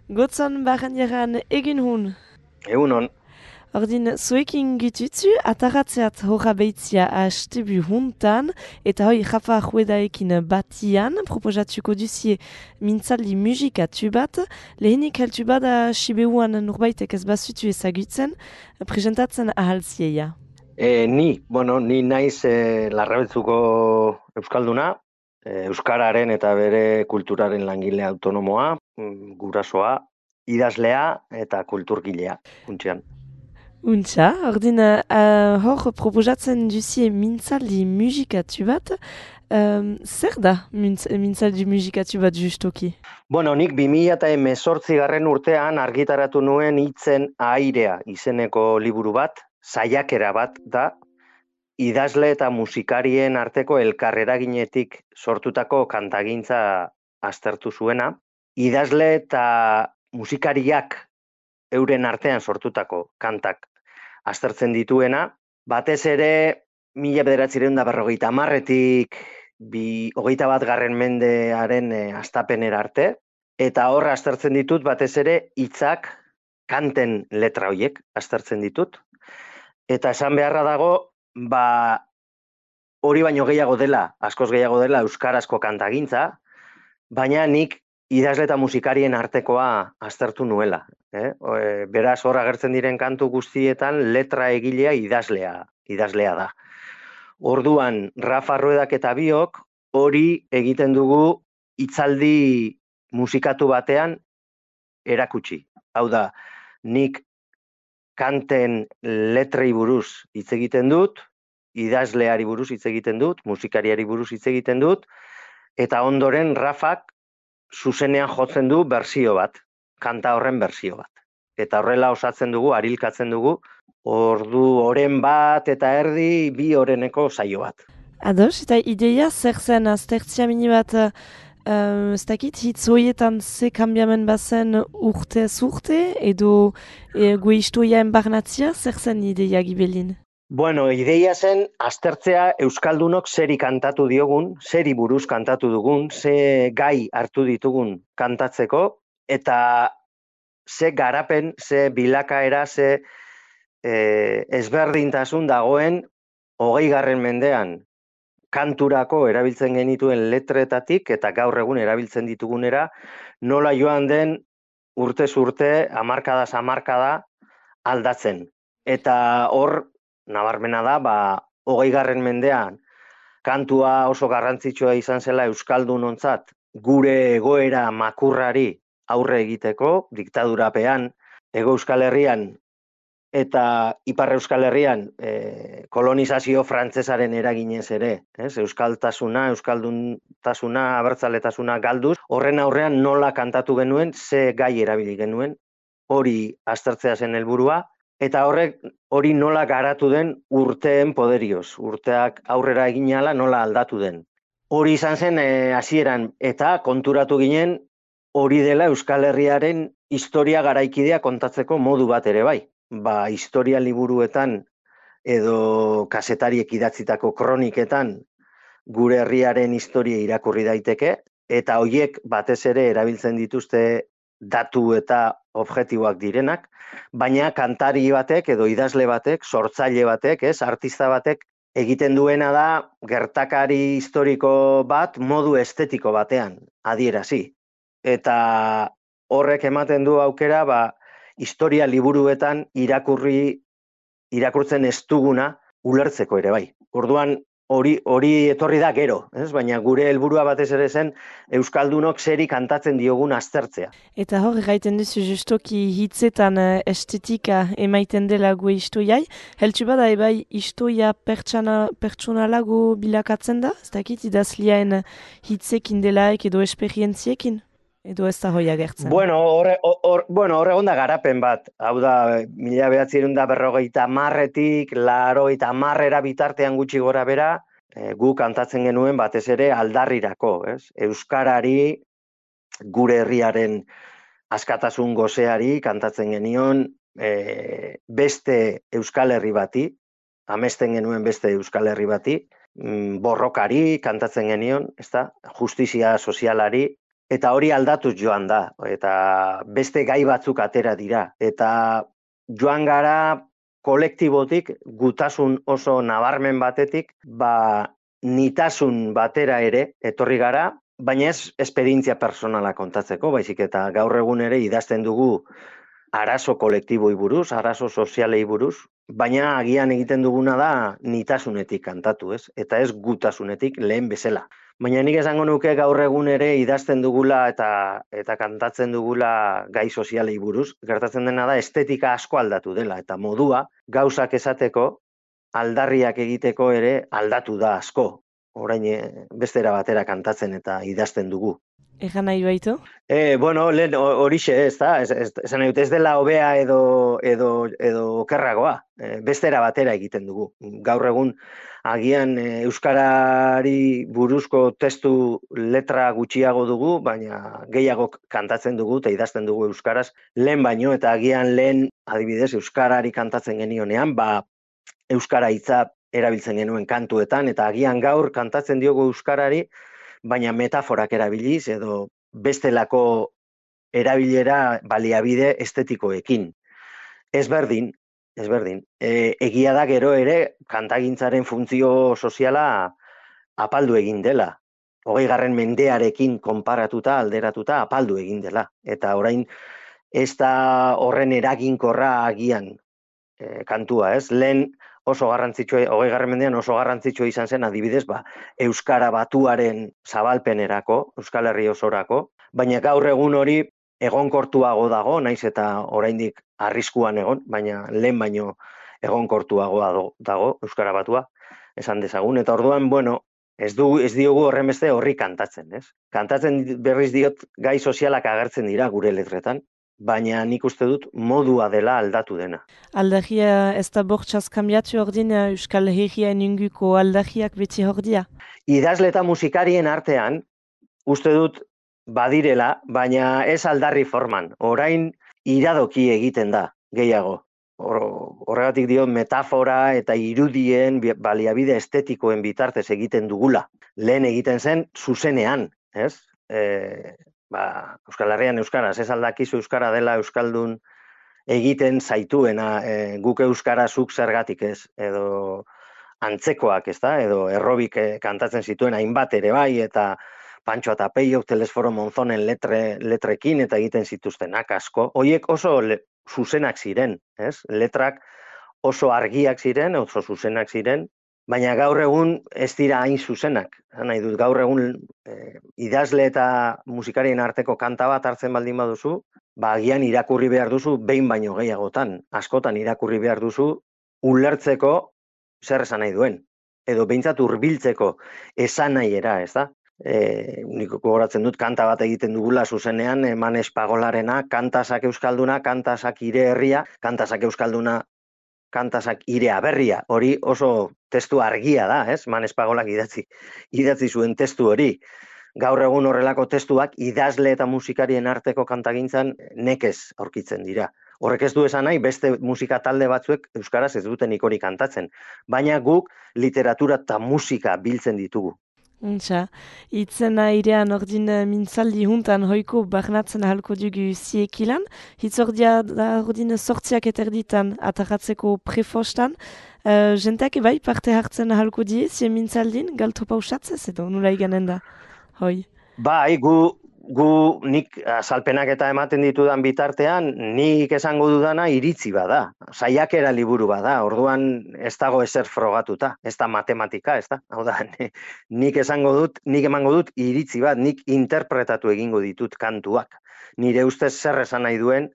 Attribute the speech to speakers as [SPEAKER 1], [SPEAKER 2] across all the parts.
[SPEAKER 1] Gotzon baren jaran egin hun.
[SPEAKER 2] Egunon,
[SPEAKER 1] Ordin, zuekin gitutzu, ataratzeat horra behitzia astebu huntan, eta hoi jafa juedaekin batian, proposatuko duzie mintzaldi musikatu bat, lehenik heltu bada sibeuan nurbaitek ez bazutu ezagutzen, presentatzen ahalzieia.
[SPEAKER 2] ni naiz Larrabetzuko Euskalduna, Euskararen eta bere kulturaren langile autonomoa, gurasoa, idazlea eta kulturgilea, funtsean.
[SPEAKER 1] Untxa, ordin, hor proposatzen duzie mintzaldi musikatu bat, zer da mintzaldi musikatu bat justoki?
[SPEAKER 2] Nik 2018 urtean argitaratu nuen Hitzen airea izeneko liburu bat, saiakera bat da, idazle eta musikarien arteko elkarreraginetik sortutako kantagintza aztertu zuena. Idazle eta musikariak euren artean sortutako kantak aztertzen dituena, batez ere 1950etik 21. mendearen hastapenera arte, eta hor aztertzen ditut batez ere hitzak, kanten letra horiek aztertzen ditut. Eta esan beharra dago, hori baino gehiago dela, askoz gehiago dela euskarazko kantagintza, baina nik idazle eta musikarien artekoa aztertu nuela. Beraz, hor agertzen diren kantu guztietan letra egilea idazlea da. Orduan, Rafa Ruedak eta biok hori egiten dugu hitzaldi musikatu batean erakutsi. Hau da, nik kanten letrei buruz hitz egiten dut, idazleari buruz hitz egiten dut, musikariari buruz hitz egiten dut, eta ondoren Rafak zuzenean jotzen du bersio bat, kanta horren bersio bat. Eta horrela osatzen dugu, arilkatzen dugu, ordu oren bat eta erdi, 2 oreneko saio bat.
[SPEAKER 1] Ados, eta ideia zer zen aztertzia mini bat, ez dakit, hitz horietan ze kambiamen bazen urtez urte, edo gue istoiaen barnatzia, zer zen ideia gibelin?
[SPEAKER 2] Ideia zen aztertzea euskaldunok zeri kantatu diogun, zeri buruz kantatu dugun, ze gai hartu ditugun kantatzeko, eta ze garapen, ze bilakaera, ze ezberdintasun dagoen 20. mendean kanturako erabiltzen genituen letretatik eta gaur egun erabiltzen ditugunera, nola joan den urtez urte, hamarkadaz hamarkada aldatzen. Eta hor, nabarmena da, 20. mendean kantua oso garrantzitsua izan zela euskaldunontzat gure egoera makurrari aurre egiteko, diktadurapean, Hego Euskal Herrian eta Ipar Euskal Herrian kolonizazio frantsesaren eraginez ere, euskaltasuna, euskalduntasuna, abertzaletasuna galduz, horren aurrean nola kantatu genuen, ze gai erabili genuen, hori aztertzea zen helburua, eta horrek hori nola garatu den urteen poderioz, urteak aurrera egin ahala nola aldatu den. Hori izan zen hasieran eta konturatu ginen hori dela Euskal Herriaren historia garaikidea kontatzeko modu bat ere bai. Historia liburuetan edo kazetariek idatzitako kroniketan gure herriaren historia irakurri daiteke, eta hoiek batez ere erabiltzen dituzte datu eta objektiboak direnak, baina kantari batek edo idazle batek, sortzaile batek, artista batek egiten duena da gertakari historiko bat modu estetiko batean adierazi. Eta horrek ematen du aukera, historia liburuetan irakurtzen ez duguna ulertzeko ere bai. Orduan hori etorri da gero, baina gure helburua batez ere zen euskaldunok zeri kantatzen diogun aztertzea.
[SPEAKER 1] Eta hor, gaiten duzu justoki hitzetan estetika emaiten dela gue istoiai, heltsu bada ebai istoia pertsonalago bilakatzen da? Ez dakit idazliaen hitzekin delaek edo esperientziekin? Edo ez da hoi agertzen?
[SPEAKER 2] Hor egon da garapen bat. Hau da, 1950etik 80 bitartean gutxi gora bera, gu kantatzen genuen batez ere aldarrirako. Euskarari, gure herriaren askatasun goseari kantatzen genion, beste Euskal Herri bati, amesten genuen beste Euskal Herri bati, borrokari kantatzen genion, justizia sozialari, eta hori aldatuz joan da, eta beste gai batzuk atera dira, eta joan gara kolektibotik, gutasun oso nabarmen batetik, nitasun batera ere etorri gara, baina ez esperientzia personala kontatzeko, baizik eta gaur egun ere idazten dugu arazo kolektiboi buruz, arazo sozialei buruz, baina agian egiten duguna da nitasunetik kantatu, ez? Eta ez gutasunetik lehen bezala. Baina nik esango nuke gaur egun ere idazten dugula eta kantatzen dugula gai sozialei buruz, gertatzen dena da estetika asko aldatu dela, eta modua gauzak esateko, aldarriak egiteko ere aldatu da asko. Orain bestera batera kantatzen eta idazten dugu.
[SPEAKER 1] Egan nahi baitu?
[SPEAKER 2] Lehen horixe ez da, esan nahi dut, ez dela hobea edo okerragoa, bestera batera egiten dugu. Gaur egun agian euskarari buruzko testu letra gutxiago dugu, baina gehiago kantatzen dugu eta idazten dugu euskaraz lehen baino, eta agian lehen adibidez euskarari kantatzen genionean, euskara hitza erabiltzen genuen kantuetan, eta agian gaur kantatzen diogu euskarari, baina metaforak erabiliz edo bestelako erabilera baliabide estetikoekin. Ezberdin. Egia da gero ere kantagintzaren funtzio soziala apaldu egin dela. 20. mendearekin konparatuta, alderatuta apaldu egin dela. Eta orain ez da horren eraginkorra agian kantua, ez? Lehen oso garrantzitsua, 20. mendean oso garrantzitsua izan zen, adibidez, euskara batuaren zabalpenerako, Euskal Herri osorako, baina gaur egun hori egonkortuago dago, naiz eta oraindik arriskuan egon, baina lehen baino egonkortuago dago euskara batua, esan dezagun, eta orduan, ez diogu horren beste horri kantatzen, ez? Kantatzen berriz diot gai sozialak agertzen dira gure letretan, baina nik uste dut modua dela aldatu dena.
[SPEAKER 1] Aldagia ez da bortxaz kambiatu ordin Euskal Herriaen inguko aldagiak beti hordia?
[SPEAKER 2] Idazle eta musikarien artean, uste dut badirela, baina ez aldarri forman. Orain iradoki egiten da, gehiago. Horregatik dio metafora eta irudien baliabide estetikoen bitartez egiten dugula. Lehen egiten zen zuzenean, ez? Euskal Herrian euskaraz, ez aldakizu euskara dela euskaldun egiten zaituena, guk euskara zuk zergatik ez, edo antzekoak, ez da, edo errobik kantatzen zituen hainbat ere bai, eta Pantxo eta Peio, Telesforo Monzonen letrekin eta egiten zituztenak asko. Hoiek oso zuzenak ziren, ez? Letrak oso argiak ziren, oso zuzenak ziren, baina gaur egun ez dira hain zuzenak. Nahi dut, gaur egun idazle eta musikarien arteko kanta bat hartzen baldin baduzu, agian irakurri behar duzu behin baino gehiagotan. Askotan irakurri behar duzu ulertzeko zer esan nahi duen. Edo behintzat hurbiltzeko esan nahiera, ez da? Nik gogoratzen dut kanta bat egiten dugula zuzenean, Manes Pagolarena, kantasak euskalduna, kantasak ire herria, kantasak euskalduna, kantasak ire aberria. Hori oso testu argia da, ez? Manes Pagolak idatzi zuen testu hori. Gaur egun horrelako testuak idazle eta musikarien arteko kantagintzan nekez aurkitzen dira. Horrek ez du esan nahi, beste musika talde batzuek euskaraz ez dutenik hori kantatzen. Baina guk literatura eta musika biltzen ditugu.
[SPEAKER 1] Untxa, itzena irean ordin mintzaldi juntan hoiko barnatzen ahalko dugu ziekilan. Hitzordia da ordin sortziak eterditan ataratzeko prefostan. Jenteak ebai parte hartzen ahalko die, zien mintzaldin, galto pausatzez edo, nula iganen da, hoi?
[SPEAKER 2] Bai, nik azalpenak eta ematen ditudan bitartean, nik esango dudana iritzi bada, saiakera liburu bada, orduan ez dago ezer frogatuta, ez da matematika, ez da? Hau da, nik emango dut iritzi bat, nik interpretatu egingo ditut kantuak. Nire ustez zer esan nahi duen,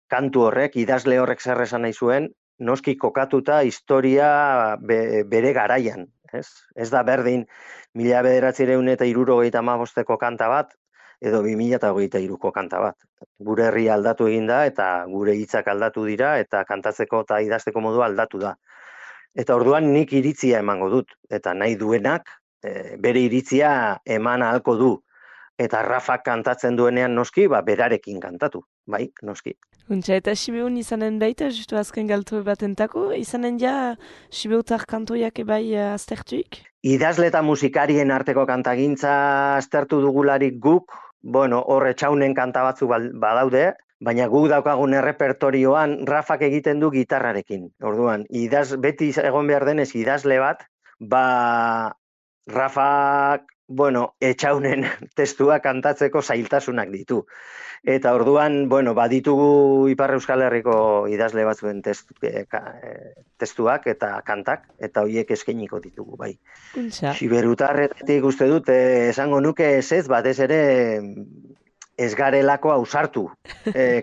[SPEAKER 2] kantu horrek, idazle horrek zer esan nahi zuen, noski kokatuta historia bere garaian. Ez da berdin 1975ko kanta bat, edo 2023ko kanta bat. Gure herria aldatu egin da, eta gure hitzak aldatu dira, eta kantatzeko eta idazteko modua aldatu da. Eta orduan nik iritzia emango dut, eta nahi duenak bere iritzia eman ahalko du. Eta Rafak kantatzen duenean noski, berarekin kantatu, bai, noski.
[SPEAKER 1] Untxa, eta Sibeun izanen baita, justu azken galto batentako, izanen ja Sibeutar kantoiak ebai aztertuik?
[SPEAKER 2] Idazle eta musikarien arteko kantagintza aztertu dugularik guk, bueno, hor etxaunen kanta batzu badaude, baina guk daukagun errepertorioan Rafak egiten du gitarrarekin. Orduan, beti egon behar denez idazle bat, ba Rafak, bueno, etxaunen testua kantatzeko zailtasunak ditu. Eta orduan, bueno, baditugu Ipar Euskal Herriko idazle batzuen testuak eta kantak, eta horiek eskainiko ditugu, bai.
[SPEAKER 1] Untxa.
[SPEAKER 2] Siberutarretik uste dut, esango nuke ez, batez ere ez garelako ausartu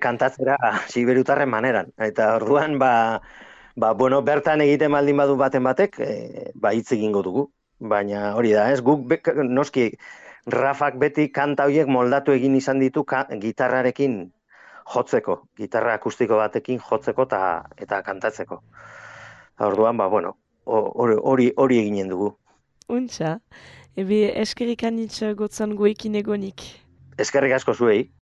[SPEAKER 2] kantatzera siberutarren maneran. Eta orduan, bueno, bertan egiten baldin badu baten batek, hitz egingo dugu. Baina hori da, ez? Guk noski Rafak beti kanta horiek moldatu egin izan ditu gitarrarekin jotzeko, gitarra akustiko batekin jotzeko eta kantatzeko. Orduan, bueno, hori eginen dugu.
[SPEAKER 1] Untxa. Ebe eskerrik anitz gotzan guekin egonik.
[SPEAKER 2] Eskerrik asko zuei.